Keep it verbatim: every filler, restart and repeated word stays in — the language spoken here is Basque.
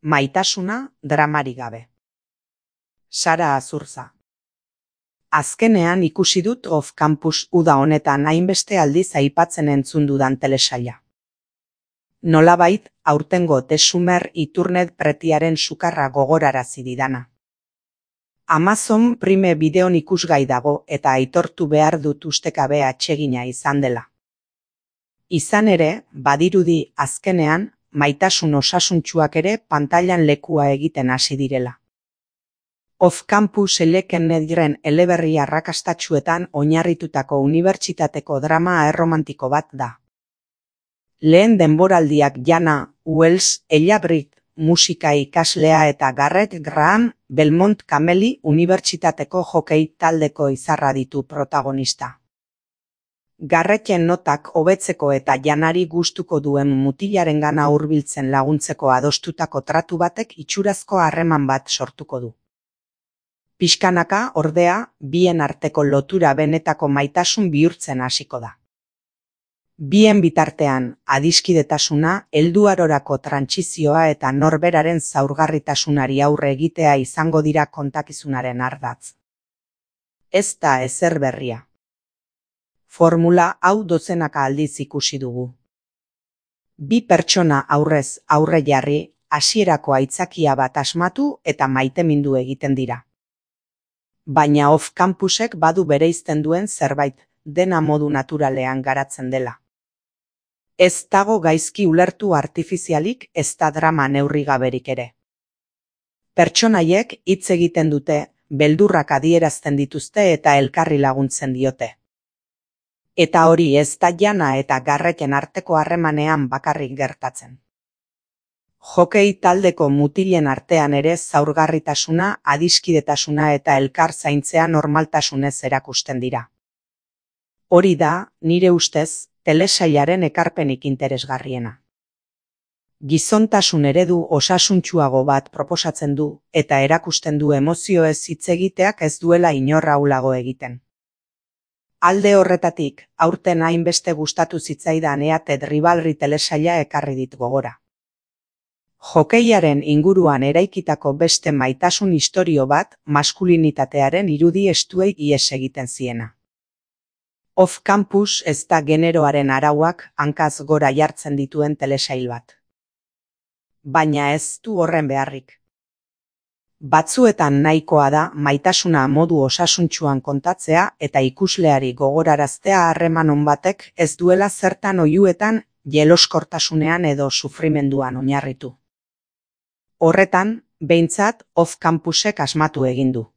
Maitasuna dramarik gabe. Sara Azurza. Azkenean ikusi dut Off Campus uda honetan hainbeste aldiz aipatzen entzun dudan telesaila. Nolabait, aurtengo Tesumer Iturnet Pretiaren sukarra gogorarazi didana. Amazon Prime bideon ikusgai dago eta aitortu behar dut ustekabe atsegina izan dela. Izan ere, badirudi azkenean, maitasun osasuntsuak ere pantailan lekua egiten hasi direla. Off Campus eleken nediren eleberri arrakastatsuetan oinarritutako unibertsitateko drama erromantiko bat da. Lehen denboraldiak Jana Wells, Ella Britt, musika ikaslea eta Garrett Graham, Belmont Cameli unibertsitateko jokei taldeko izarra ditu protagonista. Garretten notak hobetzeko eta Janari gustuko duen mutilarengana hurbiltzen laguntzeko adostutako tratu batek itxurazko harreman bat sortuko du. Pixkanaka, ordea, bien arteko lotura benetako maitasun bihurtzen hasiko da. Bien bitartean, adiskidetasuna, helduarorako trantsizioa eta norberaren zaurgarritasunari aurre egitea izango dira kontakizunaren ardatz. Ez da ezer berria. Formula hau dozenaka aldiz ikusi dugu. Bi pertsona aurrez aurre jarri, hasierako aitzakia bat asmatu eta maitemindu egiten dira. Baina Off Campusek badu bereizten duen zerbait, dena modu naturalean garatzen dela. Ez dago gaizki ulertu artifizialik, ez da drama neurrigaberik ere. Pertsonaiek hitz egiten dute, beldurrak adierazten dituzte eta elkarri laguntzen diote. Eta hori ez da Jana eta Garretten arteko harremanean bakarrik gertatzen. Jokei taldeko mutilen artean ere zaurgarritasuna, adiskidetasuna eta elkar zaintzea normaltasunez erakusten dira. Hori da, nire ustez, telesailaren ekarpenik interesgarriena. Gizontasun eredu osasuntsuago bat proposatzen du eta erakusten du emozioez hitz egiteak ez duela inor ahulago egiten. Alde horretatik, aurten hainbeste gustatu zitzaidan Eated Rivalry telesaila ekarri dit gogora. Jokeiaren inguruan eraikitako beste maitasun istorio bat maskulinitatearen irudi estuei ihes egiten ziena. Off Campus ez da generoaren arauak hankaz gora jartzen dituen telesail bat. Baina ez du horren beharrik. Batzuetan nahikoa da maitasuna modu osasuntsuan kontatzea eta ikusleari gogoraraztea harreman on batek ez duela zertan oihuetan, jeloskortasunean edo sufrimenduan oinarritu. Horretan, behintzat Off Campusek asmatu egin du.